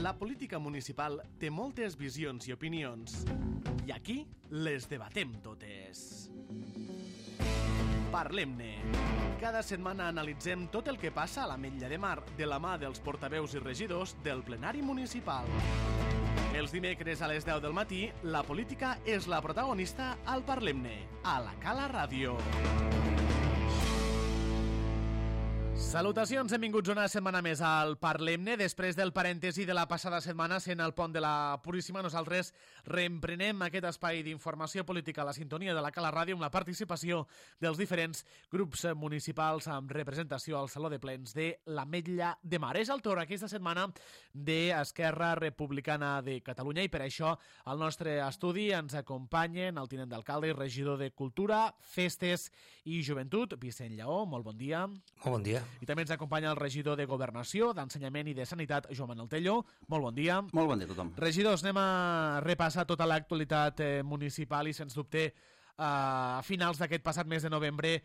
La política municipal té moltes visions i opinions, i aquí les debatem totes. Parlem-ne. Cada setmana analitzem tot el que passa a l'Ametlla de Mar de la mà dels portaveus i regidors del plenari municipal. Els dimecres a les 10 del matí, la política és la protagonista al Parlem-ne, a la Cala Ràdio. Salutacions, benvinguts una setmana més al Parlem-ne. Després del parèntesi de la passada setmana sent el pont de la Puríssima, nosaltres reemprenem aquest espai d'informació política a la sintonia de la Cala Ràdio amb la participació dels diferents grups municipals amb representació al Saló de Plens de l'Ametlla de Mar. És el torn aquesta setmana d'Esquerra Republicana de Catalunya i per això al nostre estudi ens acompanyen el tinent d'alcalde i regidor de Cultura, Festes i Joventut, Vicent Lleó. Molt bon dia. Molt bon dia. I també ens acompanya el regidor de Governació, d'Ensenyament i de Sanitat, Joan Manuel Tello. Molt bon dia. Molt bon dia a tothom. Regidors, anem a repassar tota l'actualitat municipal i, sens dubte, a finals d'aquest passat mes de novembre,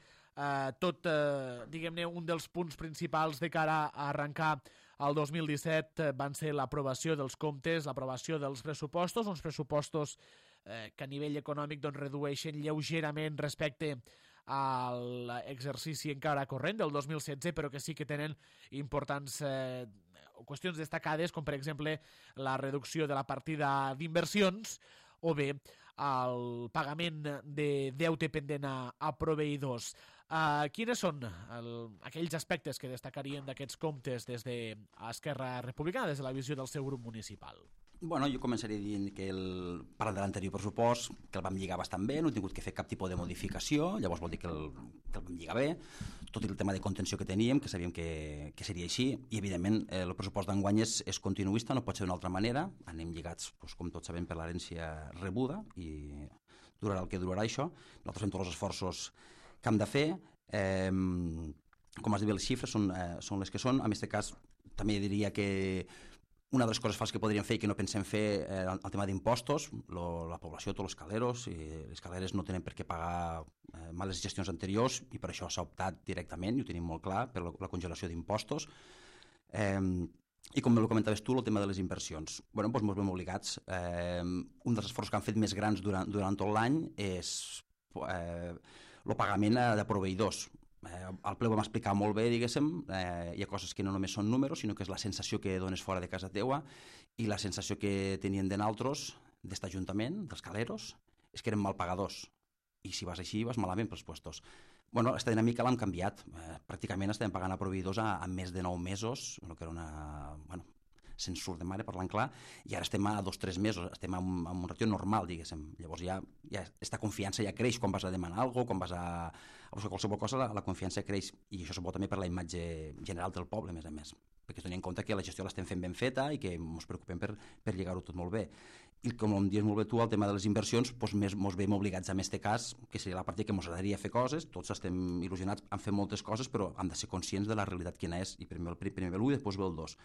diguem-ne, un dels punts principals de cara a arrencar el 2017 van ser l'aprovació dels comptes, l'aprovació dels pressupostos, uns pressupostos que a nivell econòmic redueixen lleugerament respecte a l'exercici encara corrent del 2016, però que sí que tenen importants qüestions destacades, com per exemple la reducció de la partida d'inversions o bé el pagament de deute pendent a proveïdors. Quines són aquells aspectes que destacarien d'aquests comptes des d'Esquerra Republicana, des de la visió del seu grup municipal? Bueno, jo començaré dient que parlant de l'anterior pressupost, que el vam lligar bastant bé, no he tingut que fer cap tipus de modificació, llavors vol dir que el vam lligar bé, tot el tema de contenció que teníem, que sabíem que seria així, i evidentment el pressupost d'enguany és continuista, no pot ser d'una altra manera, anem lligats, com tots sabem, per l'herència rebuda, i durarà el que durarà això. Nosaltres fem tots els esforços que hem de fer, com has dit bé, les xifres són les que són. En aquest cas també diria que una de les coses fals que podríem fer i que no pensem fer el tema d'impostos, la població, tots els caleros, i les caleres no tenen per què pagar males gestions anteriors i per això s'ha optat directament, i ho tenim molt clar, per la congelació d'impostos. I com ho comentaves tu, el tema de les inversions. Bé, doncs ens veiem obligats. Un dels esforços que han fet més grans durant tot l'any és el pagament de proveïdors. Al ple ho vam explicar molt bé, diguéssim, hi ha coses que no només són números, sinó que és la sensació que dones fora de casa teua i la sensació que tenien de nosaltres, d'este ajuntament, dels caleros, és que eren mal pagadors. I si vas així, vas malament pels puestos. Bueno, aquesta dinàmica l'hem canviat. Pràcticament estem pagant a proveïdors a més de 9 mesos, el que era una... Bueno, se'n surt de mare, parlant clar, i ara estem a 2 o 3 mesos, estem en un ratio normal, diguéssim. Llavors ja aquesta confiança ja creix quan vas a demanar alguna cosa, quan vas a buscar qualsevol cosa, la confiança creix, i això és bo també per la imatge general del poble, a més, perquè es doni en compte que la gestió l'estem fent ben feta i que ens preocupem per lligar-ho tot molt bé. I com em dius molt bé tu, el tema de les inversions, doncs ens veiem obligats en aquest cas, que seria la part que ens agradaria fer coses, tots estem il·lusionats en fer moltes coses, però hem de ser conscients de la realitat quina és, i primer ve l'1 i després ve el 2.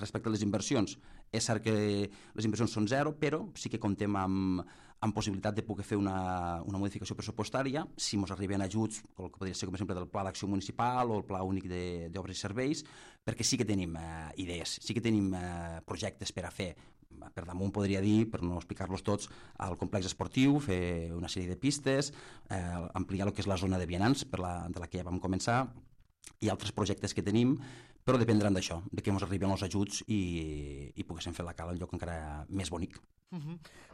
Respecte a les inversions, és cert que les inversions són 0, però sí que comptem amb possibilitat de poder fer una modificació pressupostària, si ens arriben ajuts, el que podria ser com exemple del Pla d'Acció Municipal o el Pla Únic d'Obres i Serveis, perquè sí que tenim idees, sí que tenim projectes per a fer. Per damunt podria dir, per no explicar-los tots, el complex esportiu, fer una sèrie de pistes, ampliar el que és la zona de vianants de la que ja vam començar, i altres projectes que tenim, però dependran d'això, de que ens arriben els ajuts i poguéssim fer la Cala un lloc encara més bonic.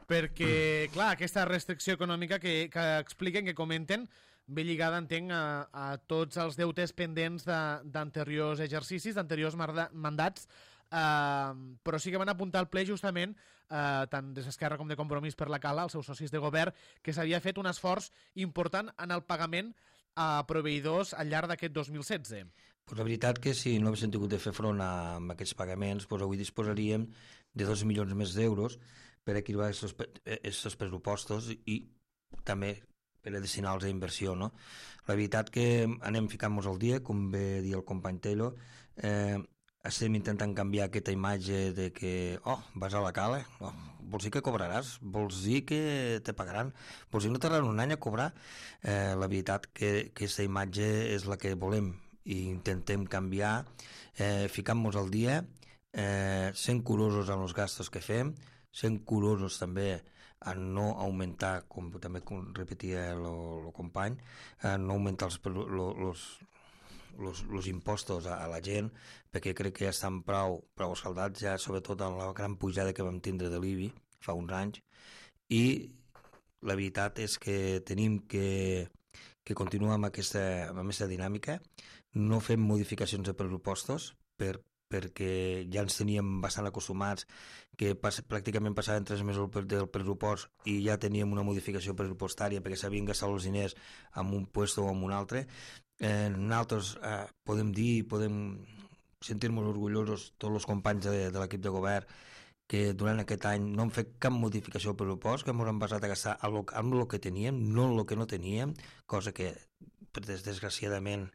Perquè, clar, aquesta restricció econòmica que expliquen, que comenten, ve lligada, entenc, a tots els deutes pendents d'anteriors exercicis, d'anteriors mandats, però sí que van apuntar al ple justament, tant des d'Esquerra com de Compromís per la Cala, els seus socis de govern, que s'havia fet un esforç important en el pagament a proveïdors al llarg d'aquest 2016. Pues la veritat que si no haguéssim tingut de fer front a aquests pagaments, pues avui disposaríem de 2 milions més d'euros per equilibrar aquests pressupostos i també per a destinar-los a inversió, no? La veritat que anem ficant-nos al dia, com bé dir el company Tello, estem intentant canviar aquesta imatge de que, vas a la Cala, vols dir que cobraràs, vols dir que te pagaran, vols dir que no tardaran un any a cobrar. La veritat que aquesta imatge és la que volem i intentem canviar, ficant-nos al dia, sent curosos amb els gastos que fem, sent curosos també a no augmentar, com també repetia el company, a no augmentar els impostos a la gent, perquè crec que ja estan prou escaldats, ja sobretot amb la gran pujada que vam tindre de l'IBI fa uns anys, i la veritat és que tenim que continuar amb aquesta dinàmica, no fem modificacions de pressupostos perquè ja ens teníem bastant acostumats que pràcticament passaven 3 mesos del pressupost i ja teníem una modificació pressupostària perquè s'havien gastat els diners en un lloc o en un altre. Nosaltres podem sentir-nos orgullosos tots els companys de l'equip de govern que durant aquest any no hem fet cap modificació al pressupost, que ens hem basat a gastar amb el que teníem, no en el que no teníem, cosa que desgraciadament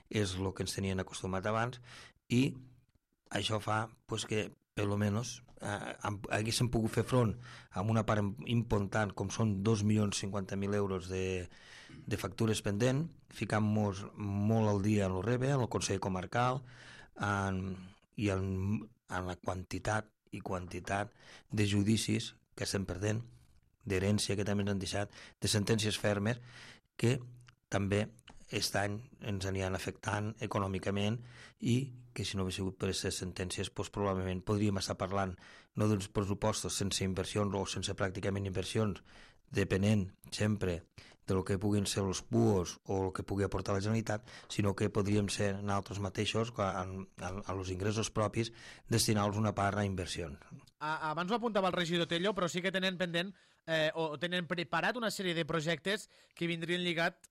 és el que ens tenien acostumat abans, i això fa que per almenys haguéssim pogut fer front a una part important com són 2.050.000 euros de factures pendent, ficant-nos molt al dia en el REBE, en el Consell Comarcal, i en la quantitat de judicis que estem perdent, d'herència que també ens han deixat, de sentències fermes que també aquest any ens aniran afectant econòmicament i que si no hagués sigut per aquestes sentències probablement podríem estar parlant no d'uns pressupostos sense inversions o sense pràcticament inversions, depenent sempre del que puguin ser els PUOs o el que pugui aportar la Generalitat, sinó que podríem ser nosaltres mateixos, als ingressos propis, destinar-los una part a inversions. Abans ho apuntava el regidor Tello, però sí que tenen pendent o tenen preparat una sèrie de projectes que vindrien lligat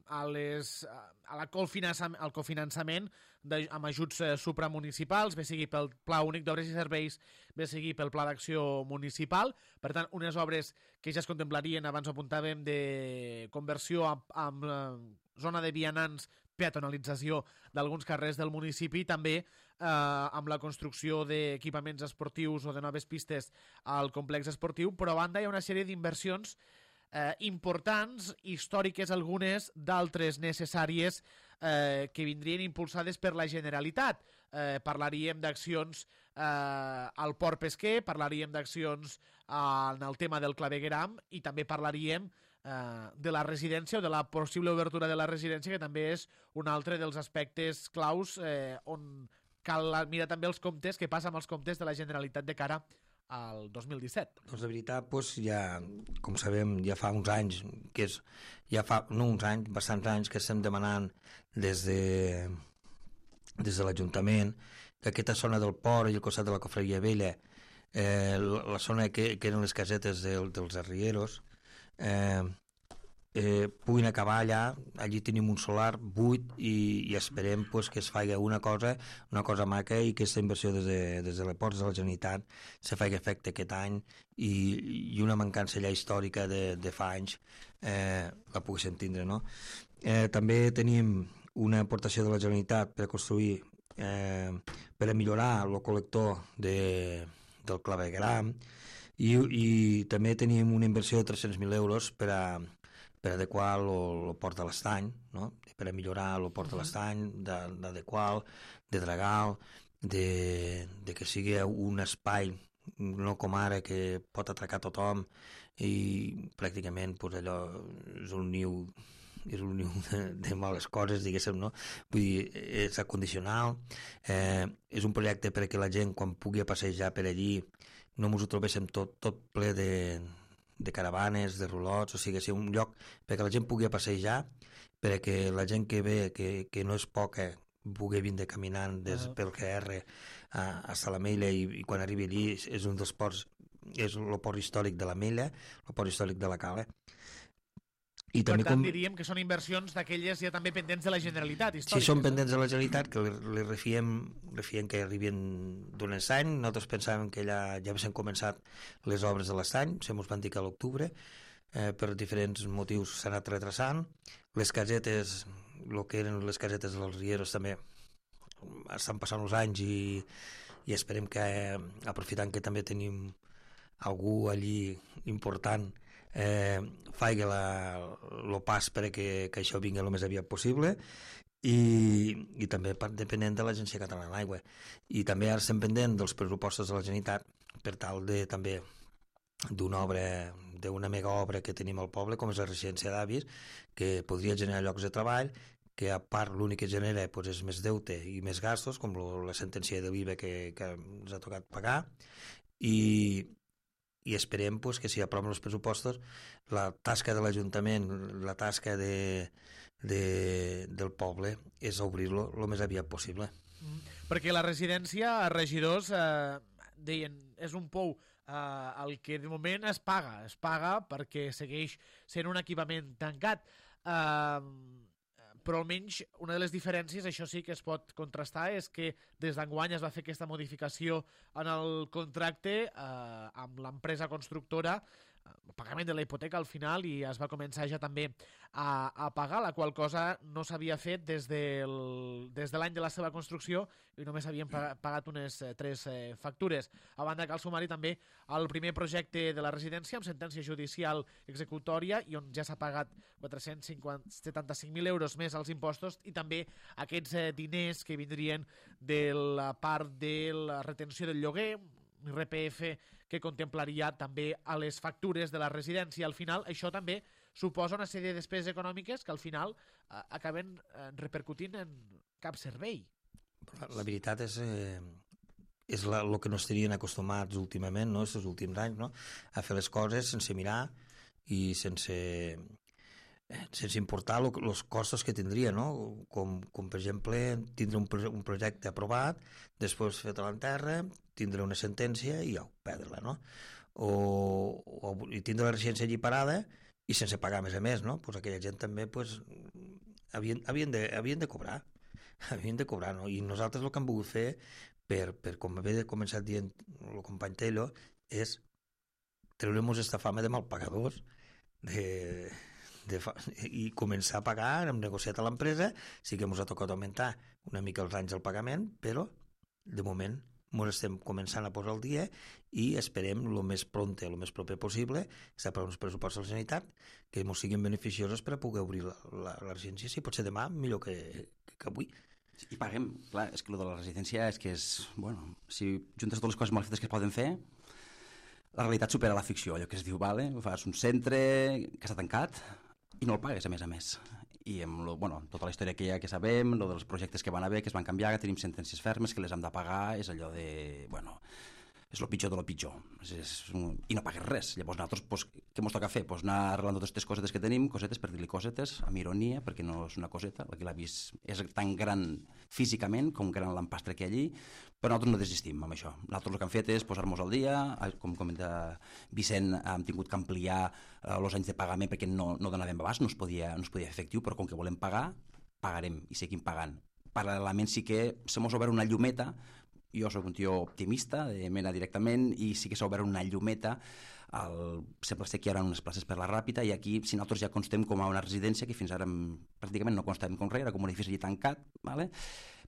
al cofinançament amb ajuts supramunicipals, bé sigui pel Pla Únic d'Obres i Serveis, bé sigui pel Pla d'Acció Municipal. Per tant, unes obres que ja es contemplarien, abans ho apuntàvem, de conversió amb zona de vianants, peatonalització d'alguns carrers del municipi, també amb la construcció d'equipaments esportius o de noves pistes al complex esportiu, però a banda hi ha una sèrie d'inversions importants, històriques algunes, d'altres necessàries que vindrien impulsades per la Generalitat. Parlaríem d'accions al port pesquer, parlaríem d'accions en el tema del clavegueram i també parlaríem de la residència o de la possible obertura de la residència, que també és un altre dels aspectes claus on cal mirar també els comptes, què passa amb els comptes de la Generalitat de cara al 2017. Doncs de veritat, ja, com sabem, ja fa uns anys, no uns anys, bastants anys que estem demanant des de l'Ajuntament que aquesta zona del port i el costat de la Cofreria Vella, la zona que eren les casetes dels arrieros, puguin acabar allà. Allí tenim un solar buit i esperem que es faci una cosa maca i que aquesta inversió des de les ports de la Generalitat se faci efecte aquest any i una mancança allà històrica de fa anys la poguéssim tindre, no? També tenim una aportació de la Generalitat per construir per a millorar el col·lector del clavegueram i també tenim una inversió de 300.000 euros per adequar el port de l'Estany, no? Per a millorar el port de l'Estany, d'adequar, de dragar, de que sigui un espai, no com ara, que pot atracar tothom i pràcticament allò és un niu de males coses, diguéssim, no? Vull dir, és acondicional, és un projecte perquè la gent, quan pugui passejar per allí, no ens ho trobéssim tot ple de caravanes, de rulots, o sigui, un lloc perquè la gent pugui passejar, perquè la gent que ve, que no és poca, pugui vindre caminant pel QR a Salamella i quan arribi allí és un dels ports, és el port històric de la Mella, el port històric de la Cala. I per tant diríem que són inversions d'aquelles ja també pendents de la Generalitat històriques. Sí, són pendents de la Generalitat, que li refiem que arribin d'un any. Nosaltres pensàvem que ja haguessin començat les obres de l'estany, se mos van dir que a l'octubre, per diferents motius s'han anat retrasant. Les casetes, el que eren les casetes dels rieros també estan passant els anys i esperem que, aprofitant que també tenim algú allí important, faci el pas perquè això vingui el més aviat possible i també depenent de l'Agència Catalana de l'Aigua. I també ara estem pendent dels pressupostos de la Generalitat per tal de també d'una mega obra que tenim al poble, com és la residència d'avis, que podria generar llocs de treball, que a part l'únic que genera és més deute i més gastos, com la sentència de l'IVA que ens ha tocat pagar, i esperem que si aproven els pressupostos la tasca de l'Ajuntament, la tasca del poble és obrir-lo el més aviat possible. Perquè la residència, regidors, deien, és un pou el que de moment es paga perquè segueix sent un equipament tancat, però almenys una de les diferències, això sí que es pot contrastar, és que des d'enguany es va fer aquesta modificació en el contracte amb l'empresa constructora, el pagament de la hipoteca al final, i es va començar ja també a pagar, la qual cosa no s'havia fet des de l'any de la seva construcció i només havien pagat unes 3 factures. A banda cal sumar-hi també el primer projecte de la residència amb sentència judicial executòria i on ja s'ha pagat 475.000 euros més als impostos i també aquests diners que vindrien de la part de la retenció del lloguer, IRPF, que contemplaria també a les factures de la residència. Al final, això també suposa una sèrie de despeses econòmiques que al final acaben repercutint en cap servei. La veritat és el que no estarien acostumats últimament, no? Aquests últims anys, no? A fer les coses sense mirar i sense importar els costos que tindria, no? Com per exemple tindre un projecte aprovat, després fet a l'enterra, tindre una sentència i perdre-la, no? I tindre la residència allí parada i sense pagar a més, no? Pues aquella gent també havien de cobrar, no? I nosaltres el que hem volgut fer, per com havia començat dient el company Tello, és treure-nos aquesta fama de malpagadors, i començar a pagar. Hem negociat a l'empresa, sí que ens ha tocat augmentar una mica els anys del pagament, però de moment ens estem començant a posar al dia i esperem el més prompte, el més proper possible, per uns pressupostos de la Generalitat que ens siguin beneficiosos per a poder obrir la residència, si pot ser demà, millor que avui. I paguem, clar, és que el de la residència és que és, bueno, si juntes totes les coses mal fetes que es poden fer, la realitat supera la ficció, allò que es diu, vale, fas un centre que està tancat i no el pagues a més. I amb tota la història que sabem, dels projectes que van haver, que es van canviar, que tenim sentències fermes, que les hem de pagar, és allò de, és el pitjor de lo pitjor. I no pagues res. Llavors nosaltres, què ens toca fer? Anar arreglant totes aquestes cosetes que tenim, cosetes per dir-li cosetes, amb ironia, perquè no és una coseta, que l'ha vist és tan gran físicament com gran l'empastre que hi ha allí, però nosaltres no desistim amb això. Nosaltres el que hem fet és posar-nos al dia, com comenta Vicent, hem tingut que ampliar els anys de pagament perquè no donàvem abast, no es podia fer efectiu, però com que volem pagar, pagarem i seguim pagant. Paral·lelament sí que se mos obre una llumeta. Jo soc un tio optimista, de mena directament, i sí que s'ha obert una llumeta. Sembla ser que hi ha unes places per la Ràpita, i aquí, si nosaltres ja constem com a una residència, que fins ara pràcticament no constem com res, era com un edifici tancat, ¿vale?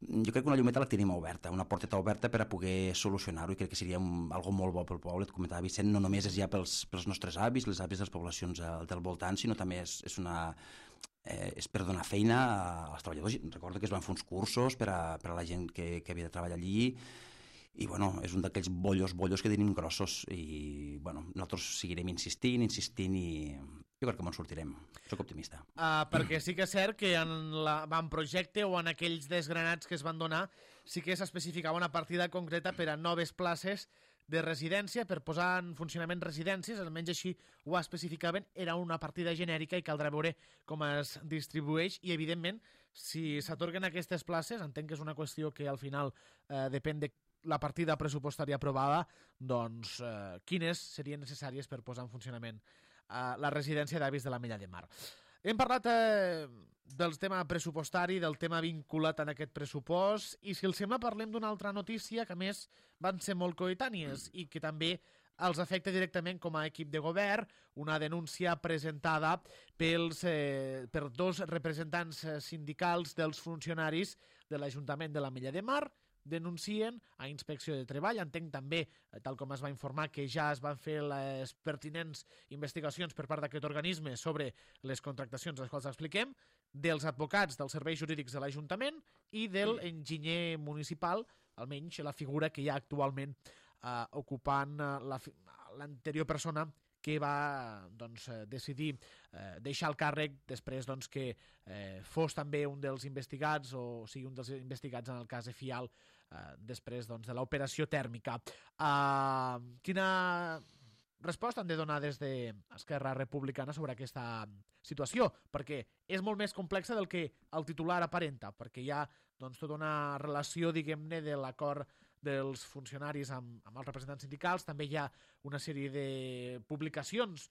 Jo crec que una llumeta la tenim oberta, una porteta oberta per a poder solucionar-ho, i crec que seria algo molt bo pel poble. Et comentava Vicent, no només és ja pels nostres avis, les avis de les poblacions del voltant, sinó també és per donar feina als treballadors. Recordo que es van fer uns cursos per a la gent que havia de treballar allí, i és un d'aquells bollos que tenim grossos, i nosaltres seguirem insistint, i jo crec que me'n sortirem. Soc optimista. Perquè sí que és cert que en l'avantprojecte o en aquells desgranats que es van donar sí que s'especificava una partida concreta per a noves places de residència, per posar en funcionament residències, almenys així ho especificaven, era una partida genèrica i caldrà veure com es distribueix, i evidentment si s'atorguen aquestes places, entenc que és una qüestió que al final depèn de la partida pressupostària aprovada, doncs quines serien necessàries per posar en funcionament la residència d'avis de l'Ametlla de Mar. Hem parlat del tema pressupostari, del tema vinculat en aquest pressupost, i si els sembla parlem d'una altra notícia que a més van ser molt coetànies i que també els afecta directament com a equip de govern, una denúncia presentada per 2 representants sindicals dels funcionaris de l'Ajuntament de l'Ametlla de Mar, denuncien a Inspecció de Treball. Entenc també, tal com es va informar, que ja es van fer les pertinents investigacions per part d'aquest organisme sobre les contractacions, les quals expliquem, dels advocats dels serveis jurídics de l'Ajuntament i de l'enginyer municipal, almenys la figura que hi ha actualment ocupant l'anterior persona que va decidir deixar el càrrec després que fos també un dels investigats, o sigui, un dels investigats en el cas de Fial, després de l'operació tèrmica. Quina resposta han de donar des d'Esquerra Republicana sobre aquesta situació? Perquè és molt més complexa del que el titular aparenta, perquè hi ha tota una relació, diguem-ne, de l'acord dels funcionaris amb els representants sindicals. També hi ha una sèrie de publicacions,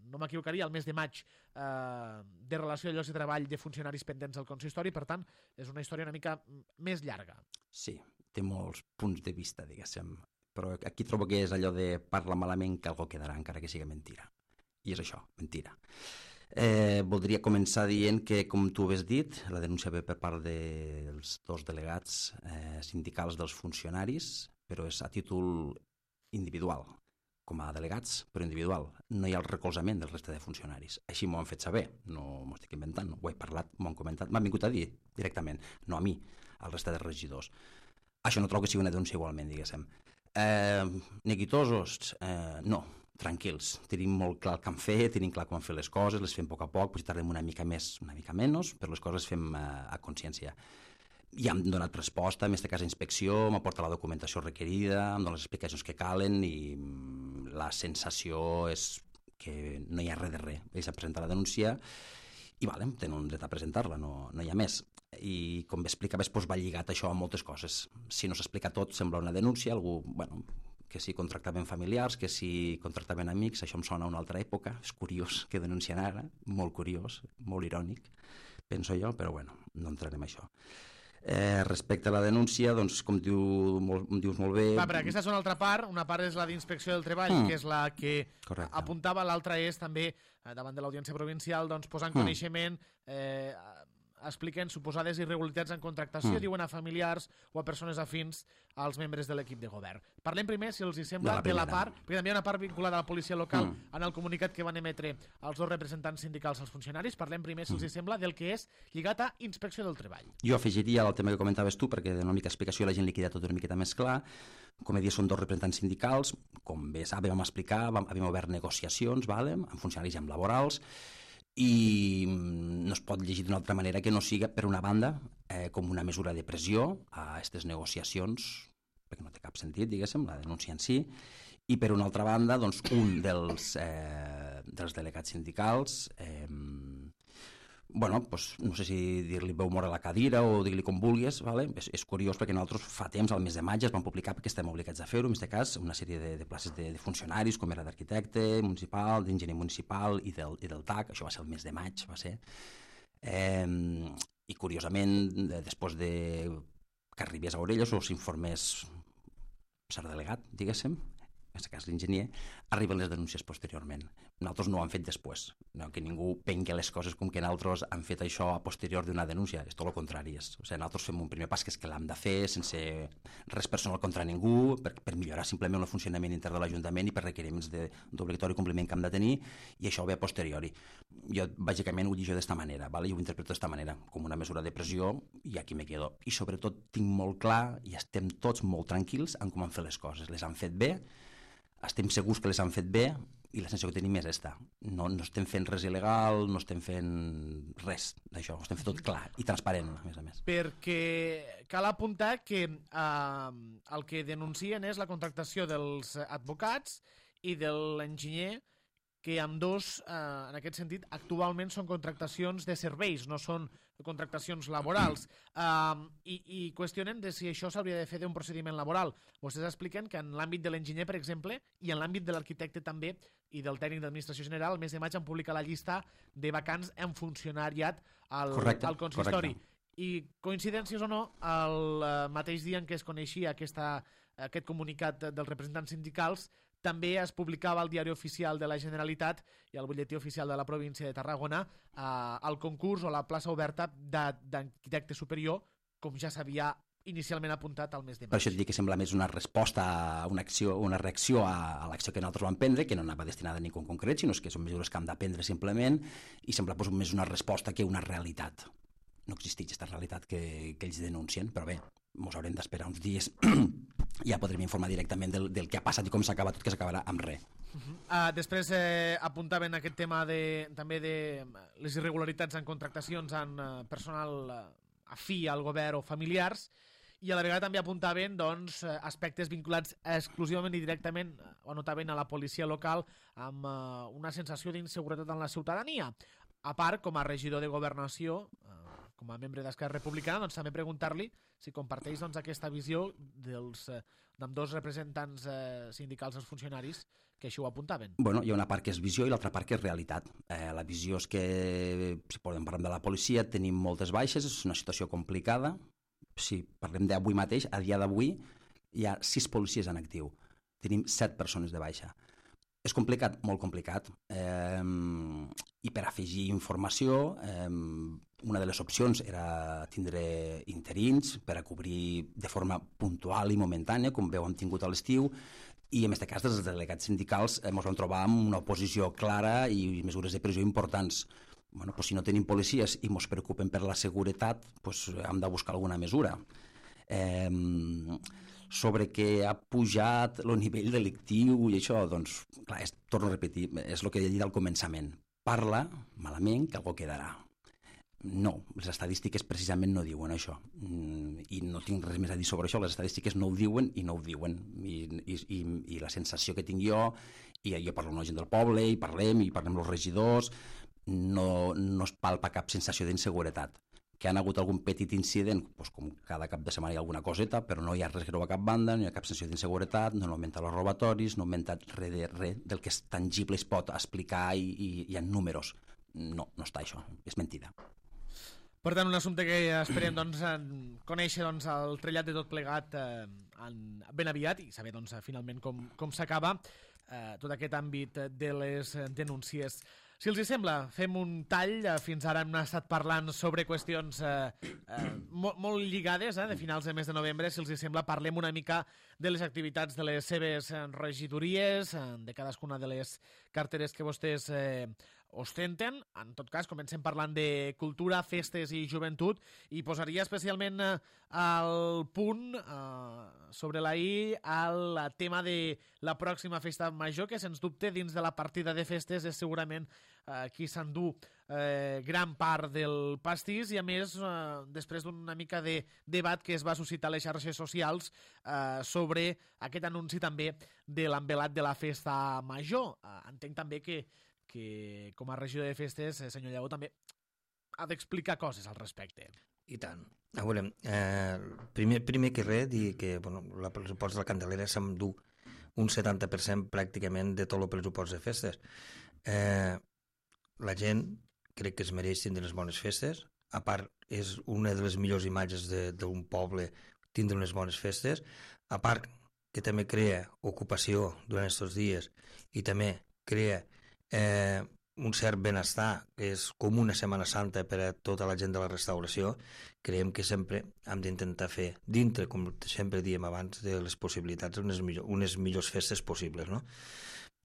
no m'equivocaria, al mes de maig, de relació a llocs de treball de funcionaris pendents del consistori. Per tant, és una història una mica més llarga. Sí, té molts punts de vista, diguéssim, però aquí trobo que és allò de parla malament que algú quedarà, encara que sigui mentira. I és això, mentira. Voldria començar dient que, com tu has dit, la denúncia ve per part dels dos delegats sindicals dels funcionaris, però és a títol individual, com a delegats, però individual. No hi ha el recolzament del reste de funcionaris. Així m'ho han fet saber, no m'ho estic inventant, ho he parlat, m'ho han comentat, m'han vingut a dir directament, no a mi, al reste de regidors. Això no trobo que sigui una denúncia igualment, diguéssim. Neguitosos? No. Tranquils, tenim molt clar el que han fet, tenim clar com han fet les coses, les fem a poc, potser tardem una mica més, una mica menys, però les coses les fem a consciència. Ja hem donat resposta, en aquest cas a inspecció, m'ha portat la documentació requerida, em donen les explicacions que calen i la sensació és que no hi ha res de res. Ells han presentat la denúncia i tenen un dret a presentar-la, no hi ha més. I com explicaves, va lligat això a moltes coses. Si no s'explica tot, sembla una denúncia, algú, que si contractaven familiars, que si contractaven amics, això em sona a una altra època, és curiós que denuncien ara, molt curiós, molt irònic, penso jo, però no entrarem en això. Respecte a la denúncia, doncs, com dius molt bé... Però aquesta és una altra part, una part és la d'Inspecció del Treball, que és la que apuntava, l'altra és també, davant de l'Audiència Provincial, posar en coneixement... expliquen suposades irregularitats en contractació, diuen a familiars o a persones afins als membres de l'equip de govern. Parlem primer, si els hi sembla, de la part, perquè també hi ha una part vinculada a la policia local en el comunicat que van emetre els dos representants sindicals als funcionaris. Parlem primer, si els hi sembla, del que és lligat a Inspecció del Treball. Jo afegiria el tema que comentaves tu, perquè de una mica explicació la gent li queda tot una miqueta més clar. Com he dit, són dos representants sindicals, com bé vam explicar, havíem obert negociacions amb funcionaris i amb laborals, i no es pot llegir d'una altra manera que no siga, per una banda, com una mesura de pressió a aquestes negociacions, perquè no té cap sentit, diguéssim, la denúncia en si, i per una altra banda, un dels delegats sindicals, no sé si dir-li veu mort a la cadira o dir-li com vulguis, és curiós perquè nosaltres fa temps, al mes de maig, es van publicar perquè estem obligats a fer-ho, en aquest cas, una sèrie de places de funcionaris, com era d'arquitecte municipal, d'enginyer municipal i del TAC, això va ser el mes de maig, va ser. I curiosament, després que arribés a orelles o s'informés el delegat, diguéssim, en aquest cas l'enginyer, arriben les denúncies posteriorment. Nosaltres no ho hem fet després, no que ningú pengui les coses com que nosaltres han fet això a posterior d'una denúncia, és tot el contrari. Nosaltres fem un primer pas que és que l'hem de fer sense res personal contra ningú, per millorar simplement el funcionament intern de l'Ajuntament i per requeriments d'obligatori compliment que hem de tenir, i això ve a posteriori. Jo, bàsicament, ho llegeixo d'esta manera, i ho interpreto d'esta manera, com una mesura de pressió, i aquí me quedo. I sobretot tinc molt clar, i estem tots molt tranquils en com han fet les coses. Les han fet bé, estem segurs que les han fet bé, i la sensació que tenim és esta. No estem fent res il·legal, no estem fent res d'això, ho estem fent tot clar i transparent, a més. Perquè cal apuntar que el que denuncien és la contractació dels advocats i de l'enginyer, que ambdós, en aquest sentit, actualment són contractacions de serveis, no són contractacions laborals, i qüestionen de si això s'hauria de fer d'un procediment laboral. Vostès expliquen que en l'àmbit de l'enginyer, per exemple, i en l'àmbit de l'arquitecte també, i del tècnic d'administració general, el mes de maig han publicat la llista de vacants en funcionariat al consistori. I coincidències o no, el mateix dia en què es coneixia aquest comunicat dels representants sindicals, també es publicava al Diari Oficial de la Generalitat i al Butlletí Oficial de la Província de Tarragona el concurs o la plaça oberta d'arquitecte superior, com ja s'havia inicialment apuntat al mes de Per maig. això et dic que sembla més una resposta, una reacció a l'acció que nosaltres vam prendre, que no anava destinada a ningú en concret, sinó que són mesures que hem d'aprendre simplement, i sembla més una resposta que una realitat. No existeix aquesta realitat que ells denuncien, però bé, ens haurem d'esperar uns dies i ja podrem informar directament del que ha passat i com s'acaba tot, que s'acabarà amb res. Després apuntaven aquest tema també de les irregularitats en contractacions en personal afí al govern o familiars, i a la vegada també apuntaven doncs, aspectes vinculats exclusivament i directament, o notaven a la policia local, amb una sensació d'inseguretat en la ciutadania. A part, com a regidor de Governació, com a membre d'Esquerra Republicana, doncs, també preguntar-li si comparteix doncs, aquesta visió d'ambdós representants sindicals dels funcionaris que així ho apuntaven. Bueno, hi ha una part que és visió i l'altra part que és realitat. La visió és que, si podem parlar de la policia, tenim moltes baixes, és una situació complicada. Si parlem d'avui mateix, a dia d'avui hi ha 6 policies en actiu. Tenim 7 persones de baixa. És complicat, molt complicat. I per afegir informació, una de les opcions era tindre interins per a cobrir de forma puntual i momentània, com veu hem tingut a l'estiu, i en aquest cas dels delegats sindicals ens vam trobar amb una oposició clara i mesures de pressió importants. Bueno, pues si no tenim policies i ens preocupen per la seguretat, pues hem de buscar alguna mesura. Sobre que ha pujat el nivell delictiu i això, doncs, clar, torno a repetir, és el que he dit al començament. Parla malament que algú quedarà. No, les estadístiques precisament no diuen això, i no tinc res més a dir sobre això. Les estadístiques no ho diuen i no ho diuen, i la sensació que tinc jo, i jo parlo amb la gent del poble i parlem amb els regidors, no es palpa cap sensació d'inseguretat. Que han hagut algun petit incident, doncs com cada cap de setmana hi ha alguna coseta, però no hi ha res greu a cap banda, no hi ha cap sensació d'inseguretat, no han augmentat els robatoris, no ha augmentat res del que és tangible es pot explicar i hi ha números. No està això, és mentida. Per tant, un assumpte que esperem doncs, conèixer doncs, el trellat de tot plegat ben aviat i saber doncs, finalment com s'acaba tot aquest àmbit de les denúncies. Si els hi sembla, fem un tall. Fins ara hem estat parlant sobre qüestions molt lligades, de finals de mes de novembre. Si els hi sembla, parlem una mica de les activitats de les seves regidories, de cadascuna de les carteres que vostès ostenten. En tot cas, comencem parlant de cultura, festes i joventut, i posaria especialment al punt sobre la i al tema de la pròxima festa major, que sens dubte dins de la partida de festes és segurament qui s'endú gran part del pastís, i a més després d'una mica de debat que es va suscitar a les xarxes socials sobre aquest anunci també de l'envelat de la festa major. Entenc també que com a regidor de festes, senyor Lleó, també ha d'explicar coses al respecte. I tant. A veure, primer que res, dir que el pressupost de la Candelera s'endú un 70% pràcticament de tot el pressupost de festes. La gent crec que es mereix tindre unes bones festes. A part, és una de les millors imatges d'un poble tindre unes bones festes. A part, que també crea ocupació durant aquests dies i també crea un cert benestar, que és com una Setmana Santa per a tota la gent de la restauració. Creiem que sempre hem d'intentar fer dintre, com sempre diem abans, de les possibilitats unes millors festes possibles, no?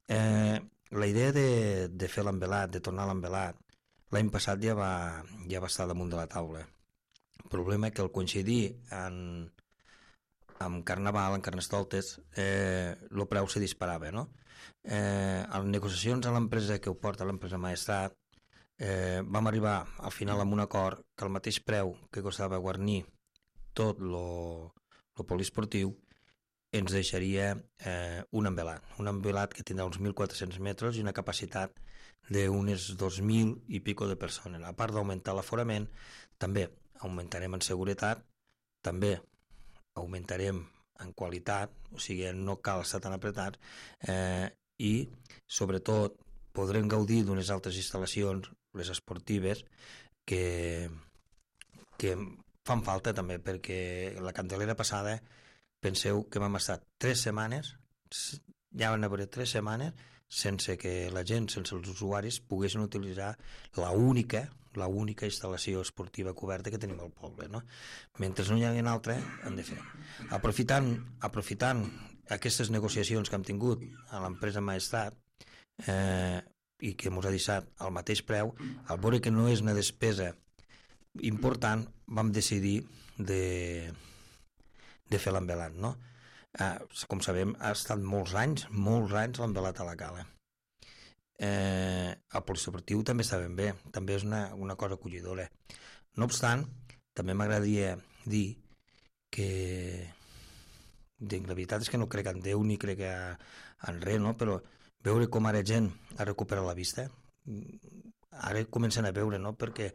La idea de fer l'envelat, de tornar a l'envelat, l'any passat ja va estar damunt de la taula. El problema és que al coincidir amb Carnaval, en Carnestoltes, el preu se disparava, no? A les negociacions a l'empresa que ho porta, l'empresa Maestrat, vam arribar al final amb un acord que el mateix preu que costava guarnir tot el poliesportiu ens deixaria un envelat que tindrà uns 1.400 metres i una capacitat d'unes 2.000 i pico de persones. A part d'augmentar l'aforament, també augmentarem en seguretat, també augmentarem en qualitat, o sigui, no cal estar tan apretats, i sobretot podrem gaudir d'unes altres instal·lacions, les esportives, que fan falta també, perquè la Candelera passada, penseu que vam estar 3 setmanes, ja van haver 3 setmanes sense que la gent, sense els usuaris, poguessin utilitzar l'única l'única instal·lació esportiva coberta que tenim al poble, no? Mentre no hi hagi una altra, hem de fer. Aprofitant aquestes negociacions que hem tingut a l'empresa Maestrat, i que ens ha deixat al mateix preu, al veure que no és una despesa important, vam decidir de fer l'envelat, no? Com sabem, ha estat molts anys l'envelat a la cala. El poliesportiu també està ben bé, també és una cosa acollidora. No obstant, també m'agradaria dir que la veritat és que no crec en Déu ni crec en res, no? Però veure com ara gent ha recuperat la vista, ara comencen a veure, no? Perquè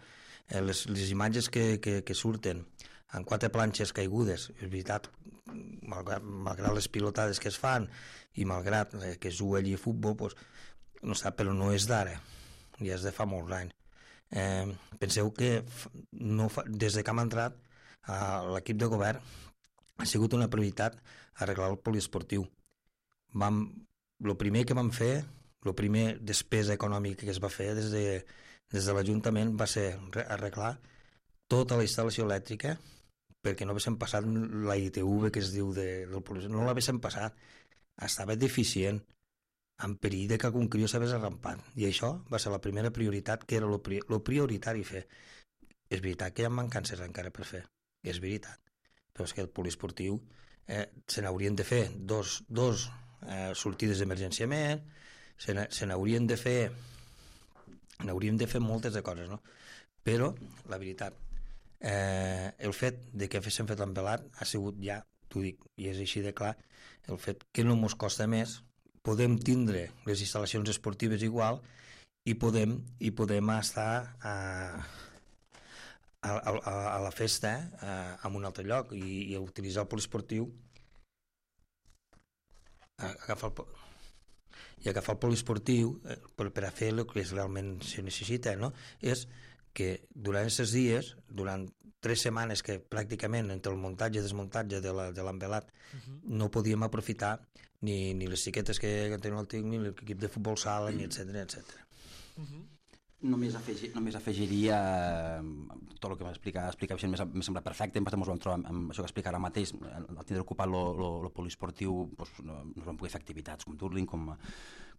les imatges que surten en 4 planxes caigudes, és veritat, malgrat les pilotades que es fan i malgrat que es juga allí a futbol, doncs, no sap, però no és d'ara, ja és de fa molts anys. Penseu que des de que hem entrat l'equip de govern ha sigut una prioritat arreglar el poliesportiu. El primer que vam fer, la primera despesa econòmica que es va fer des de l'Ajuntament va ser arreglar tota la instal·lació elèctrica perquè no haguéssim passat la ITV que es diu del poliesportiu, no l'haguéssim passat, estava deficient, en perill de que algun crió s'hagués arrampat, i això va ser la primera prioritat, que era el prioritari fer. És veritat que hi ha mancances encara per fer, és veritat, però és que el poliesportiu se n'haurien de fer dos sortides d'emergència més, se n'haurien de fer moltes de coses, no? Però la veritat, el fet de que haguéssim fet l'envelat ha sigut ja, t'ho dic, i és així de clar, el fet que no ens costa més, podem tindre les instal·lacions esportives igual i podem estar a la festa en un altre lloc i utilitzar el poliesportiu agafar el poliesportiu per a fer el que realment se necessita, no? És que durant aquests dies, durant 3 setmanes que pràcticament entre el muntatge i desmuntatge de l'envelat no podíem aprofitar ni les xiquetes que tenen el TIC, ni l'equip de futbol sala, ni etc. Només afegiria tot el que m'ha explicat m'ha semblat perfecte. Ens vam trobar amb això que explica ara mateix, al tindre ocupat el poliesportiu, no vam poder fer activitats com Turling, com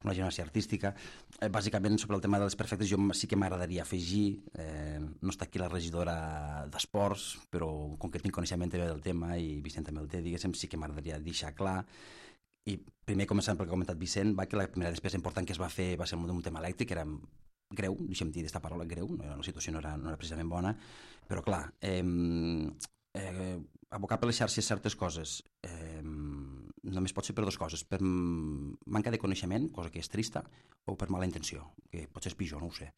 la gimnàsia artística. Bàsicament, sobre el tema dels perfectes, jo sí que m'agradaria afegir, no està aquí la regidora d'Esports, però com que tinc coneixement també del tema, i Vicent també el té, diguéssim, sí que m'agradaria deixar clar. I primer, començant pel que ha comentat Vicent, que la primera despesa important que es va fer va ser un tema elèctric, que era greu, deixem dir aquesta paraula, greu, la situació no era precisament bona, però clar, abocar per les xarxes certes coses només pot ser per 2 coses, per manca de coneixement, cosa que és trista, o per mala intenció, que potser és pitjor, no ho sé.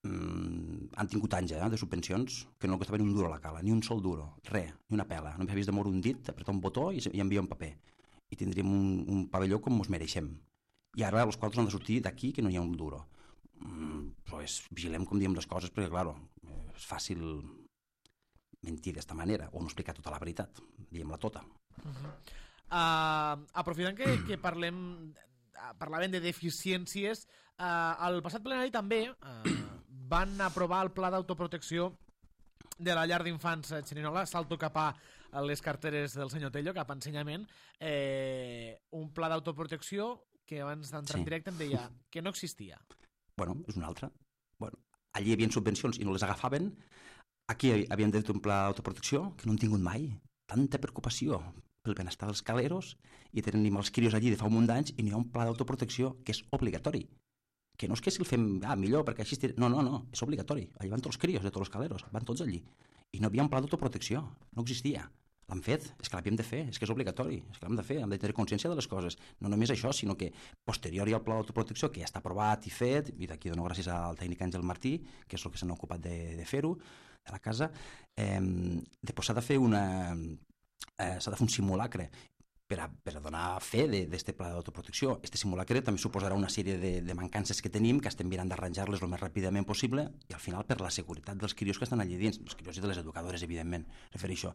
Han tingut anys de subvencions que no costaven un duro a la cala, ni un sol duro, res, ni una pela, només havies de moure un dit, apretar un botó i enviar un paper, i tindríem un pavelló com ens mereixem. I ara els quadres han de sortir d'aquí que no hi ha un duro. Pues vigilem com diem les coses, perquè clar, és fàcil mentir d'esta manera o no explicar tota la veritat, diguem-la tota. Aprofitant que parlàvem de deficiències, al passat plenari també van aprovar el pla d'autoprotecció de la llar d'infants Xerinola. Salto cap a les carteres del senyor Tello, cap a ensenyament, un pla d'autoprotecció que abans d'entrar en directe em deia que no existia. Bueno, és una altra. Allí hi havia subvencions i no les agafaven. Aquí havien de fer un pla d'autoprotecció que no han tingut mai. Tanta preocupació pel benestar dels caleros i tenim els crios allí de fa un munt d'anys i no hi ha un pla d'autoprotecció que és obligatori. Que no és que si el fem millor perquè així... No, és obligatori. Allà van tots els crios de tots els caleros, van tots allí. I no havia un pla d'autoprotecció, no existia. L'han fet, és que l'havíem de fer, és que és obligatori, és que l'hem de fer, hem de tenir consciència de les coses. No només això, sinó que posterior hi ha el pla d'autoprotecció que ja està aprovat i fet, i d'aquí dono gràcies al tècnic Àngel Martí, que és el que s'han ocupat de fer-ho, de la casa. Després s'ha de fer un simulacre per donar fe d'aquest pla d'autoprotecció. Aquest simulacre també suposarà una sèrie de mancances que tenim, que estem mirant d'arranjar-les el més ràpidament possible, i al final per la seguretat dels crios que estan allà dins, els crios i de les educadores, evidentment, refereixo.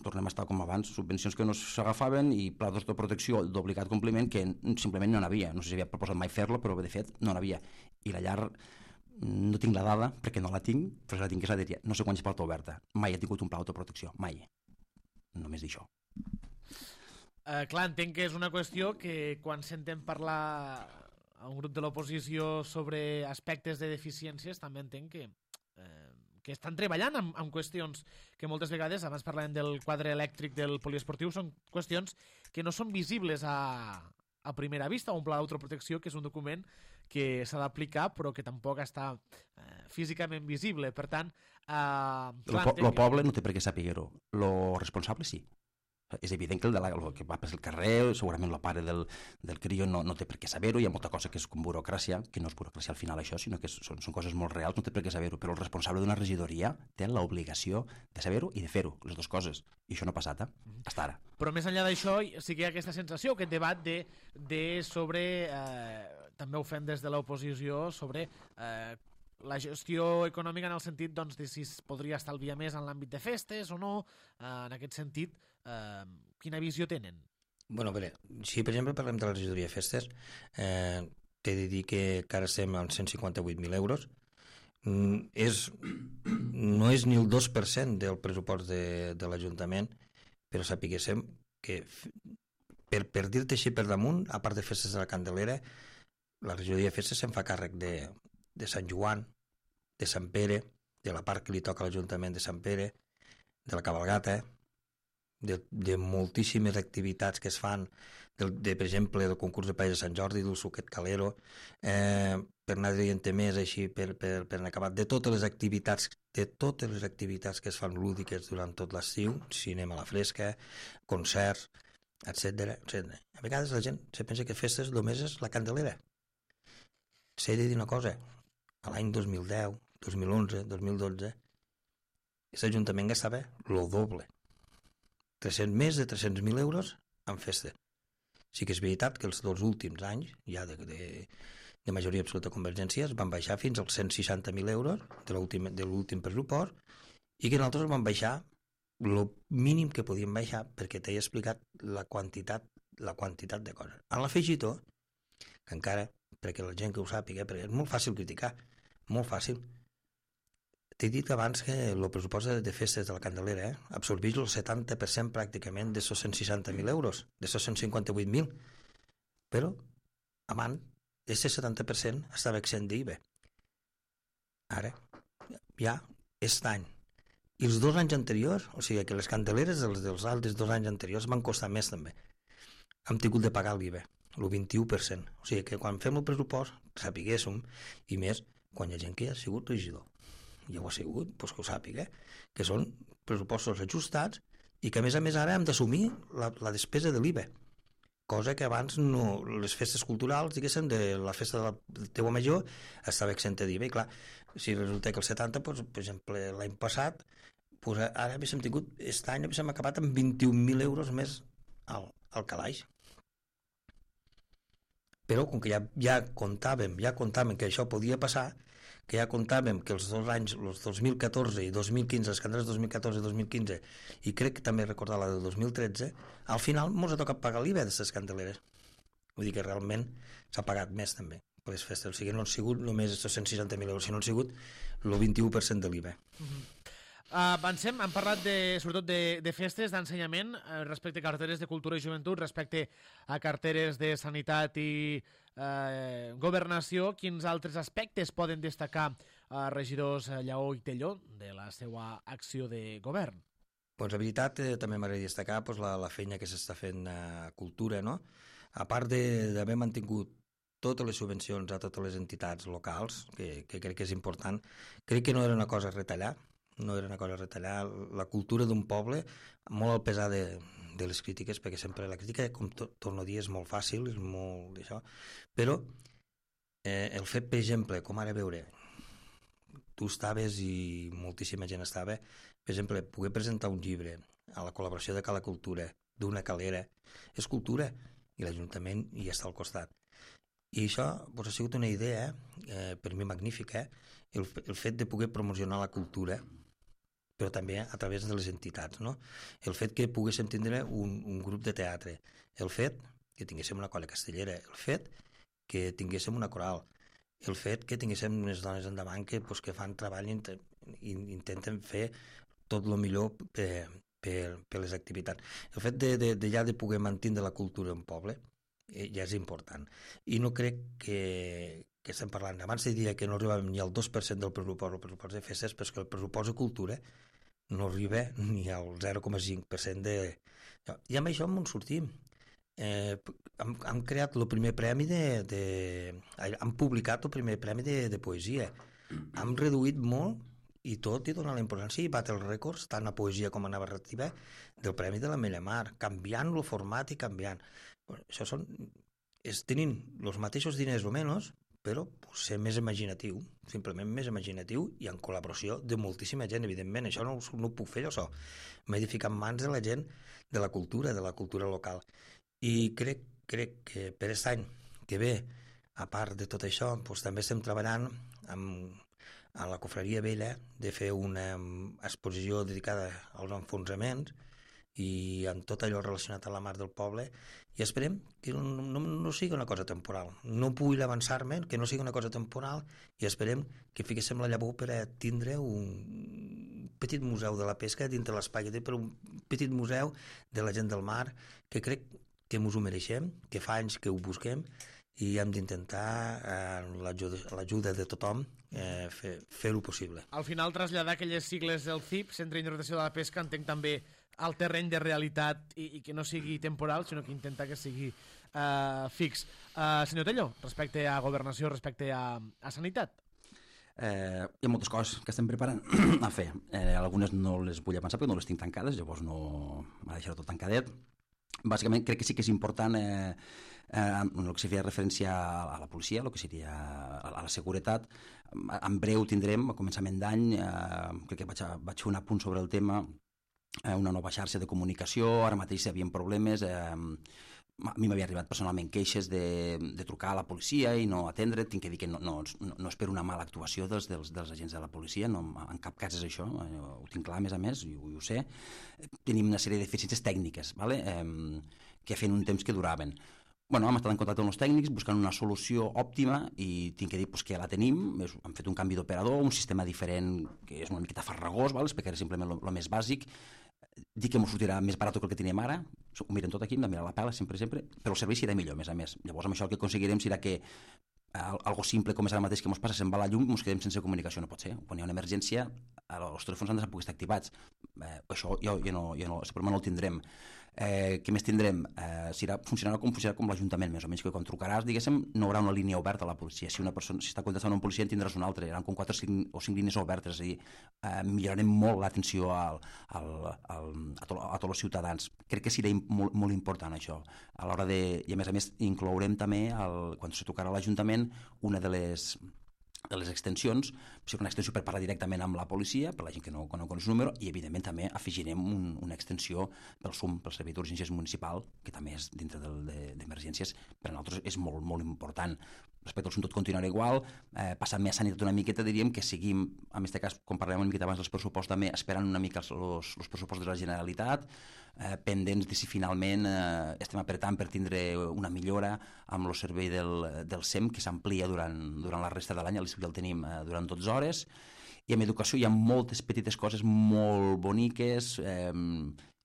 Tornem a estar com abans, subvencions que no s'agafaven i pla d'autoprotecció d'obligat compliment que simplement no n'havia. No sé si havia proposat mai fer-lo, però de fet no n'havia. I la llar no tinc la dada, perquè no la tinc, però si la tingués la diria. No sé quants porta oberta. Mai he tingut un pla d'autoprotecció, mai. Només d'això. Clar, entenc que és una qüestió que quan sentem parlar a un grup de l'oposició sobre aspectes de deficiències, també entenc que estan treballant amb qüestions que moltes vegades, abans parlàvem del quadre elèctric del poliesportiu, són qüestions que no són visibles a primera vista. Un pla d'autoprotecció que és un document que s'ha d'aplicar però que tampoc està físicament visible. Per tant... El poble no té per què saber-ho. El responsable sí. És evident que el que va per el carrer, segurament el pare del crió no té per què saber-ho, hi ha molta cosa que és com burocràcia, que no és burocràcia al final això, sinó que són coses molt reals, no té per què saber-ho, però el responsable d'una regidoria té l'obligació de saber-ho i de fer-ho, les dues coses, i això no ha passat, fins ara. Però més enllà d'això, sí que hi ha aquesta sensació, aquest debat de sobre, també ho fem des de l'oposició, sobre la gestió econòmica en el sentit doncs, de si es podria estalviar més en l'àmbit de festes o no, en aquest sentit, quina visió tenen? Bueno, a veure, si per exemple parlem de la regidoria de festes, t'he de dir que ara estem amb 158.000 euros, no és ni el 2% del pressupost de l'Ajuntament, però sapiguéssim que per dir-te així per damunt, a part de festes de la Candelera, la regidoria de festes se'n fa càrrec de Sant Joan, de Sant Pere, de la part que li toca a l'Ajuntament de Sant Pere, de la cabalgata, de moltíssimes activitats que es fan, per exemple, del concurs de paella de Sant Jordi, del suquet calero, per anar dient més així, per anar acabat, de totes les activitats que es fan lúdiques durant tot l'estiu, cinema a la fresca, concerts, etc. A vegades la gent se pensa que festes només és la Candelera. S'ha de dir una cosa, a l'any 2010, 2011, 2012, aquest Ajuntament gastava el doble. Més de 300.000 euros en festa. Sí que és veritat que els dos últims anys, ja de majoria absoluta de Convergències, van baixar fins als 160.000 euros de l'últim pressupost i que nosaltres van baixar el mínim que podíem baixar perquè t'he explicat la quantitat de coses. En l'afegitó, que encara, perquè la gent que ho sàpiga, perquè és molt fàcil criticar, molt fàcil. T'he dit abans que el pressupost de festes de la Candelera absorbeix el 70% pràcticament de 160.000 euros, de 158.000. Però, abans, aquest 70% estava exempt d'IVA. Ara, ja, aquest any. I els 2 anys anteriors, o sigui que les Candeleres dels altres 2 anys anteriors van costar més també. Hem tingut de pagar l'IVA, el 21%. O sigui que quan fem el pressupost, sapiguéssim, i més, quan hi ha gent que ja ha sigut regidor. Ja ho ha sigut, doncs que ho sàpiga, que són pressupostos ajustats i que a més ara hem d'assumir la despesa de l'IVA, cosa que abans no, les festes culturals, diguéssim, de la festa de la teua major estava exempta d'IVA, i clar, si resulta que el 70, doncs, per exemple, l'any passat, doncs ara haguéssim tingut, aquest any haguéssim acabat amb 21.000 euros més al calaix. Però com que ja comptàvem que això podia passar, que ja comptàvem que els 2 anys, els 2014 i 2015, les Candeles 2014 i 2015, i crec que també recordar la del 2013, al final ens ha tocat pagar l'IVA d'aquestes Candeleres. Vull dir que realment s'ha pagat més també per les festes. O sigui, no han sigut només aquests 160.000 euros, sinó han sigut el 21% de l'IVA. Avancem, hem parlat sobretot de festes, d'ensenyament, respecte a carteres de cultura i joventut, respecte a carteres de sanitat i governació. Quins altres aspectes poden destacar regidors Lleó i Telló de la seva acció de govern? Doncs la veritat, també m'agradaria destacar la feina que s'està fent a cultura, no? A part d'haver mantingut totes les subvencions a totes les entitats locals, que crec que és important, crec que no era una cosa a retallar, la cultura d'un poble, molt al pesar de les crítiques, perquè sempre la crítica, com torno a dir, és molt fàcil, és molt d'això, però el fet, per exemple, com ara veure, tu estaves i moltíssima gent estava, per exemple, poder presentar un llibre a la col·laboració de Cala Cultura, d'una calera, és cultura, i l'Ajuntament hi està al costat. I això ha sigut una idea, per mi magnífica, el fet de poder promocionar la cultura, però també a través de les entitats, no? El fet que poguéssim tindre un grup de teatre, el fet que tinguéssim una colla castellera, el fet que tinguéssim una coral, el fet que tinguéssim unes dones endavant que fan treball i intenten fer tot el millor per les activitats. El fet de ja de poder mantenir la cultura en poble ja és important. I no crec que estem parlant. Abans diria que no arribàvem ni al 2% del pressupost de festes, però que el pressupost de cultura no arriba ni al 0,5% de... I amb això en sortim. Hem creat el primer premi hem publicat el primer premi de poesia. Hem reduït molt i tot i donar la importància i batre els rècords tant a poesia com a narrativa del Premi de l'Ametlla Mar, canviant el format i canviant. Això tenint els mateixos diners o menys, però ser més imaginatiu, simplement més imaginatiu i en col·laboració de moltíssima gent, evidentment. Això no ho puc fer jo sol. M'he de ficar en mans de la gent de la cultura local. I crec que per aquest any que ve, a part de tot això, també estem treballant a la Cofreria Vella de fer una exposició dedicada als enfonsaments i amb tot allò relacionat a la mar del poble, i esperem que no sigui una cosa temporal. No vull avançar-me, que no sigui una cosa temporal, i esperem que fiquéssim la llavor per a tindre un petit museu de la pesca dintre l'espai, però un petit museu de la gent del mar, que crec que ens ho mereixem, que fa anys que ho busquem, i hem d'intentar, amb l'ajuda de tothom, fer-ho possible. Al final, traslladar aquelles sigles del CIP, Centre d'Interpretació de la Pesca, entenc també al terreny de realitat i que no sigui temporal, sinó que intenta que sigui fix. Senyor Tello, respecte a governació, respecte a sanitat? Hi ha moltes coses que estem preparant a fer. Algunes no les vull avançar perquè no les tinc tancades, llavors no m'ha deixat tot tancadet. Bàsicament crec que sí que és important el que seria referència a la policia, el que seria a la seguretat. En breu tindrem, a començament d'any, crec que vaig fer un apunt sobre el tema, una nova xarxa de comunicació. Ara mateix hi havia problemes, a mi m'havia arribat personalment queixes de trucar a la policia i no atendre. Tinc que dir que no és per una mala actuació dels agents de la policia, en cap cas és això, ho tinc clar, a més, i ho sé. Tenim una sèrie de deficiències tècniques, que feien un temps que duraven. Hem estat en contacte amb els tècnics buscant una solució òptima i tinc que dir que ja la tenim. Hem fet un canvi d'operador, un sistema diferent que és una miqueta farragós, perquè era simplement el més bàsic. Dic que m'ho sortirà més barat que el que teníem ara, ho miren tot aquí, hem de mirar la pela sempre, però el servei serà millor, a més. Llavors amb això el que aconseguirem serà que algo simple com és ara mateix que ens passa, se'n va la llum, ens quedem sense comunicació, no pot ser. Quan hi ha una emergència, els telèfons han de poder estar activats. Això el problema no el tindrem. Què més tindrem? Funcionarà com l'Ajuntament, més o menys, que quan trucaràs, diguéssim, no hi haurà una línia oberta a la policia. Si una persona està contestant a un policia en tindràs una altra, hi haurà com 4 o 5 línies obertes, és a dir, millorarem molt l'atenció a tots els ciutadans. Crec que serà molt important això. A l'hora i a més inclourem també, quan se trucarà a l'Ajuntament, una de les extensions, una extensió per parlar directament amb la policia, per la gent que no coneix el número, i evidentment també afegirem una extensió pel SUM, pel Servei d'Urgències Municipal, que també és dintre d'emergències, per a nosaltres és molt, molt important. Respecte al SUM tot continuarà igual, passant més a sanitat una miqueta, diríem que seguim, en aquest cas, com parlem una miqueta abans dels pressupostos, també esperant una mica els pressupostos de la Generalitat, pendents de si finalment estem apretant per tindre una millora amb el servei del SEM, que s'amplia durant la resta de l'any, el tenim durant 12 hores, i en educació hi ha moltes petites coses molt boniques.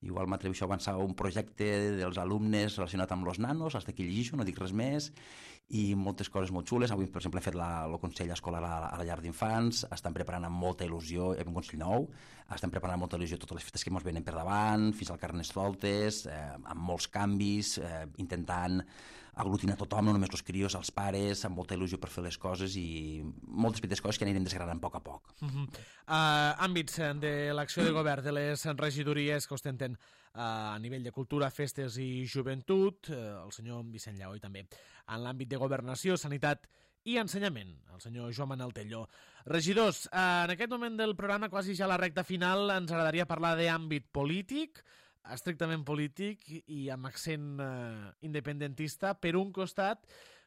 Igual m'atreveixo a avançar un projecte dels alumnes relacionat amb els nanos, hasta aquí llegeixo, no dic res més, i moltes coses molt xules. Avui, per exemple, he fet el Consell Escolar a la llar d'infants, estan preparant amb molta il·lusió, hi ha un Consell nou, estan preparant amb molta il·lusió totes les festes que ens venen per davant, fins al Carnestoltes, amb molts canvis, intentant aglutinar tothom, no només els crios, els pares, amb molta il·lusió per fer les coses, i moltes petites coses que anirem desgranant a poc a poc. Àmbits de l'acció de govern de les regidories que ostenten a nivell de cultura, festes i joventut, el senyor Vicent Lleó, i també en l'àmbit de governació, sanitat i ensenyament, el senyor Joan Manel Tello. Regidors, en aquest moment del programa, quasi ja a la recta final, ens agradaria parlar d'àmbit polític, estrictament polític i amb accent independentista, per un costat,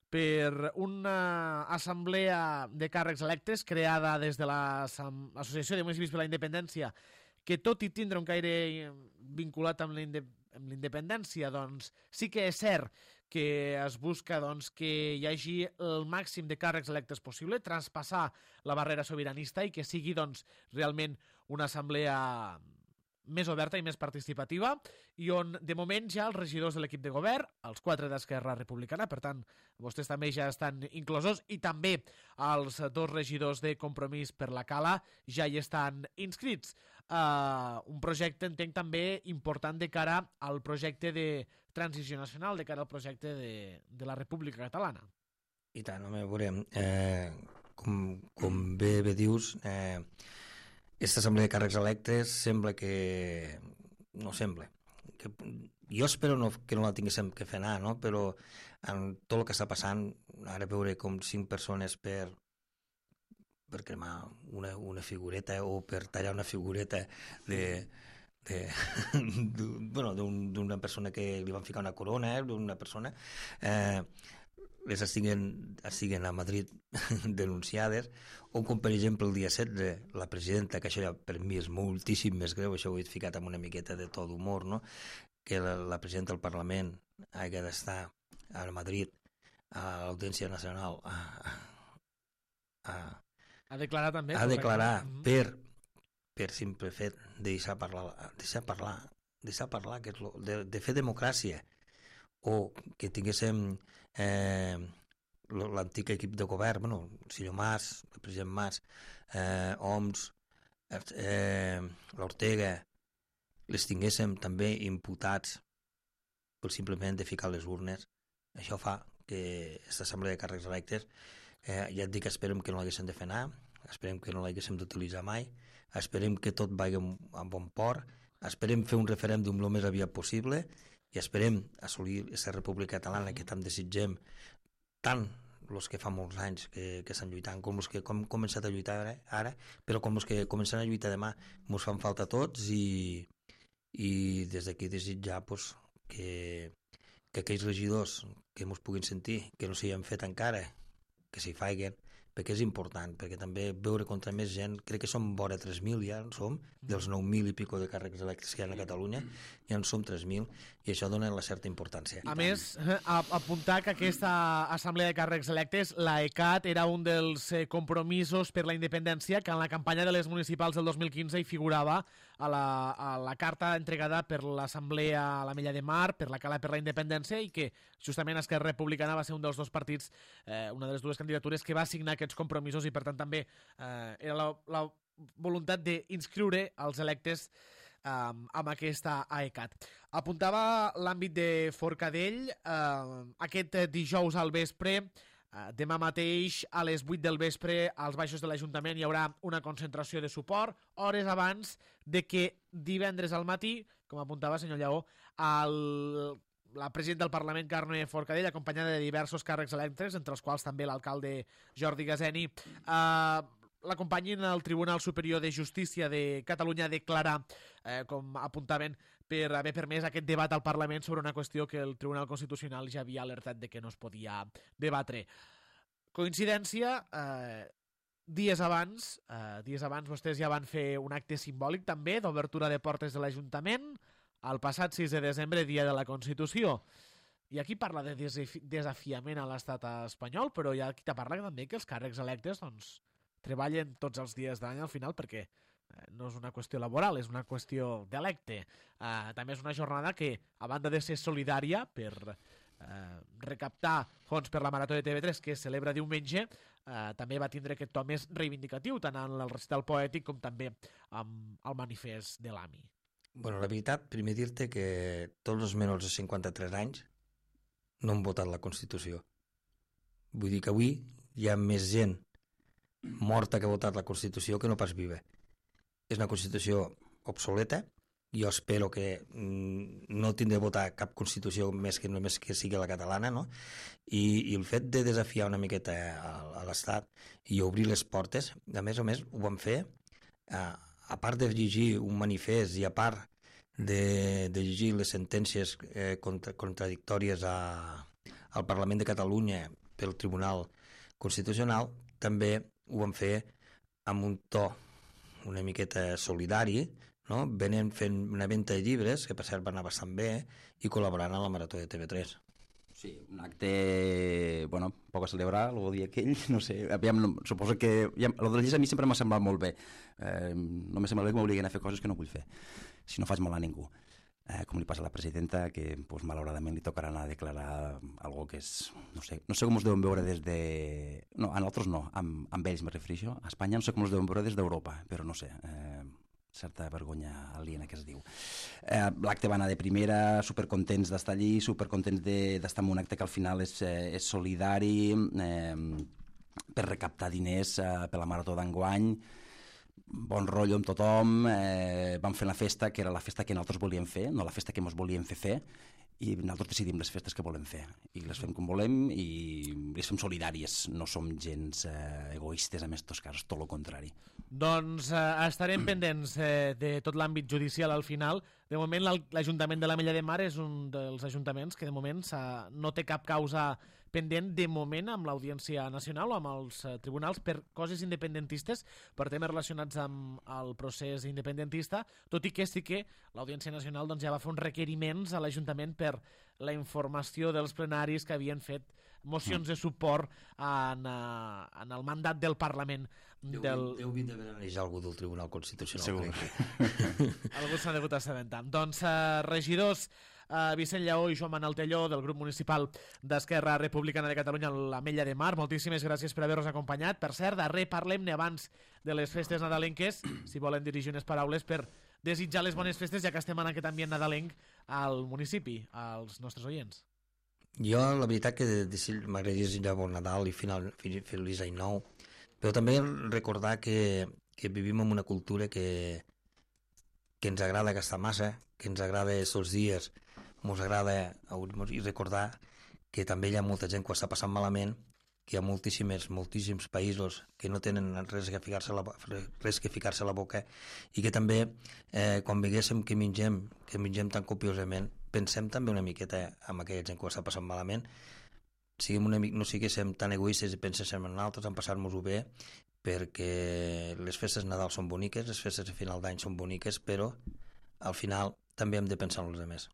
per una assemblea de càrrecs electes creada des de l'Associació de Municipis per la Independència, que tot i tindre un caire vinculat amb la independència, doncs sí que és cert que es busca doncs, que hi hagi el màxim de càrrecs electes possible, traspassar la barrera sobiranista i que sigui doncs, realment una assemblea més oberta i més participativa, i on de moment ja els regidors de l'equip de govern, els 4 d'Esquerra Republicana, per tant, vostès també ja estan inclosos, i també els 2 regidors de Compromís per la Cala ja hi estan inscrits. Un projecte, entenc, també important de cara al projecte de transició nacional, de cara al projecte de la República Catalana. I tant, home, veurem. Com bé dius, aquesta assemblea de càrrecs electes sembla que... no sembla. Jo espero que no la tinguéssim que fer anar, no? Però en tot el que està passant, ara veure com 5 persones per cremar una figureta o per tallar una figureta d'una persona que li van ficar una corona, d'una persona, les estiguen a Madrid denunciades, o com per exemple el dia 16 la presidenta, que això ja per mi és moltíssim més greu, això ho he ficat amb una miqueta de to d'humor, no? Que la presidenta del Parlament hagi d'estar a Madrid a l'Audiència Nacional a declarar també. A declarar per simple fet de deixar parlar, que és de fer democràcia, o que tinguéssim l'antic equip de govern, bueno, el senyor Mas, el president Mas, Homs, l'Ortega, les tinguéssim també imputats per simplement de ficar les urnes. Això fa que aquesta assemblea de càrrecs electes, ja et dic, esperem que no l'haguéssim de fer anar, esperem que no l'haguéssim d'utilitzar mai, esperem que tot vagi a bon port, esperem fer un referèndum el més aviat possible i esperem assolir aquesta república catalana que tant desitgem, tant els que fa molts anys que estan lluitant com els que hem començat a lluitar ara, però com els que començaran a lluitar demà ens fan falta tots, i des d'aquí desitjar que aquells regidors que ens puguin sentir, que no s'hi han fet encara, que s'hi faiguen, perquè és important, perquè també veure contra més gent, crec que som vora 3.000 ja, en som, dels 9.000 i pico de càrrecs electes que hi ha a Catalunya, ja en som 3.000, i això dona la certa importància. A més, apuntar que aquesta assemblea de càrrecs electes, l'AECAT, era un dels compromisos per la independència que en la campanya de les municipals del 2015 hi figurava a la carta entregada per l'Assemblea a l'Ametlla de Mar, per la Cala per la Independència, i que justament Esquerra Republicana va ser un dels 2 partits, una de les 2 candidatures que va signar aquests compromisos, i per tant també era la voluntat d'inscriure els electes amb aquesta AECAT. Apuntava l'àmbit de Forcadell, aquest dijous al vespre, demà mateix a les 8 del vespre als baixos de l'Ajuntament hi haurà una concentració de suport, hores abans de que divendres al matí, com apuntava senyor Lleó, la presidenta del Parlament, Carme Forcadell, acompanyada de diversos càrrecs electes, entre els quals també l'alcalde Jordi Gazeni, l'acompanyin al Tribunal Superior de Justícia de Catalunya a declarar, com apuntaven, per haver permès aquest debat al Parlament sobre una qüestió que el Tribunal Constitucional ja havia alertat de que no es podia debatre. Coincidència, dies abans vostès ja van fer un acte simbòlic també d'obertura de portes de l'Ajuntament el passat 6 de desembre, dia de la Constitució. I aquí parla de desafiament a l'estat espanyol, però hi ha qui te parla també que els càrrecs electes treballen tots els dies de l'any al final, perquè no és una qüestió laboral, és una qüestió d'electe. També és una jornada que, a banda de ser solidària per recaptar fons per la Marató de TV3, que es celebra diumenge, també va tindre aquest to més reivindicatiu, tant en el recital poètic com també amb el manifest de l'AMI. Bueno, la veritat, primer dir-te que tots els menors de 53 anys no han votat la Constitució. Vull dir que avui hi ha més gent morta que ha votat la Constitució que no pas viva. És una Constitució obsoleta. Jo espero que no tindré de votar cap Constitució més que només que sigui la catalana, no? I el fet de desafiar una miqueta a l'Estat i obrir les portes, a més ho van fer a part de llegir un manifest i a part de llegir les sentències contradictòries al Parlament de Catalunya pel Tribunal Constitucional, també ho van fer amb un to una miqueta solidari, no? Venen fent una venda de llibres, que per cert va anar bastant bé, i col·laborant a la Marató de TV3. Sí, un acte, bueno, poc a celebrar, el dia aquell, no sé, aviam, suposo que... El de les lleis a mi sempre m'ha semblat molt bé. No m'ha semblat bé que m'obliguen a fer coses que no vull fer, si no faig mal a ningú. Com li passa a la presidenta, que pues, malauradament li tocarà anar a declarar algo que és... No sé com us deuen veure des de... No, a nosaltres no, amb ells me refereixo. A Espanya no sé com us deuen veure des d'Europa, però no sé, certa vergonya aliena que es diu. L'acte va anar de primera, supercontents d'estar allí, supercontents d'estar en un acte que al final és solidari, per recaptar diners per la Marató d'enguany, bon rotllo amb tothom, vam fer la festa, que era la festa que nosaltres volíem fer, no la festa que ens volíem fer, i nosaltres decidim les festes que volem fer, i les fem com volem, i les fem solidàries, no som gens egoistes en aquests casos, tot el contrari. Doncs estarem pendents de tot l'àmbit judicial al final. De moment l'Ajuntament de l'Ametlla de Mar és un dels ajuntaments que de moment no té cap causa pendent de moment amb l'Audiència Nacional o amb els tribunals per coses independentistes, per temes relacionats amb el procés independentista, tot i que sí que l'Audiència Nacional doncs, ja va fer uns requeriments a l'Ajuntament per la informació dels plenaris que havien fet mocions de suport en el mandat del Parlament. Deu d'haver analitzat algú del Tribunal Constitucional. Segur. Algú s'ha degut assabentar. Doncs regidors Vicent Lleó i Joan Manel Telló del grup municipal d'Esquerra Republicana de Catalunya a l'Ametlla de Mar, moltíssimes gràcies per haver-nos acompanyat. Per cert, darrer parlem-ne abans de les festes nadalenques, si volen dirigir unes paraules per desitjar les bones festes, ja que estem en aquest ambient nadalenc al municipi, als nostres oients. Jo, la veritat que m'agradaria desitjar bon Nadal i feliç any nou, però també recordar que vivim en una cultura que ens agrada gastar massa, que ens agrada aquests dies, ens agrada i recordar que també hi ha molta gent que ho està passant malament, que hi ha moltíssims països que no tenen res que ficar-se a la boca, i que també quan veguéssim que mengem tan copiosament, pensem també una miqueta en aquella gent que ho està passant malament, no siguéssim tan egoistes i penséssim en altres, en passar-nos-ho bé, perquè les festes de Nadal són boniques, les festes de final d'any són boniques, però al final també hem de pensar en els altres.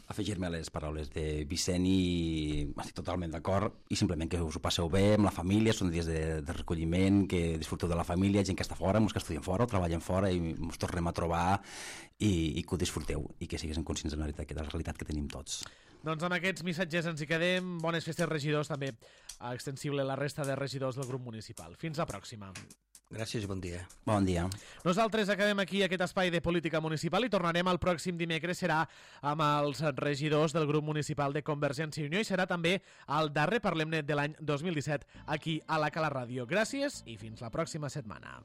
Afegir-me a les paraules de Vicent i estic totalment d'acord, i simplement que us ho passeu bé amb la família, són dies de recolliment, que disfruteu de la família, gent que està fora, molts que estudien fora o treballen fora, i ens tornem a trobar i que ho disfruteu i que siguéssim conscients de la realitat que tenim tots. Doncs amb aquests missatges ens hi quedem. Bones festes, regidors, també extensible a la resta de regidors del grup municipal. Fins la pròxima. Gràcies i bon dia. Bon dia. Nosaltres acabem aquí aquest espai de política municipal i tornarem el pròxim dimecres. Serà amb els regidors del grup municipal de Convergència i Unió i serà també el darrer Parlem-ne de l'any 2017 aquí a la Cala Ràdio. Gràcies i fins la pròxima setmana.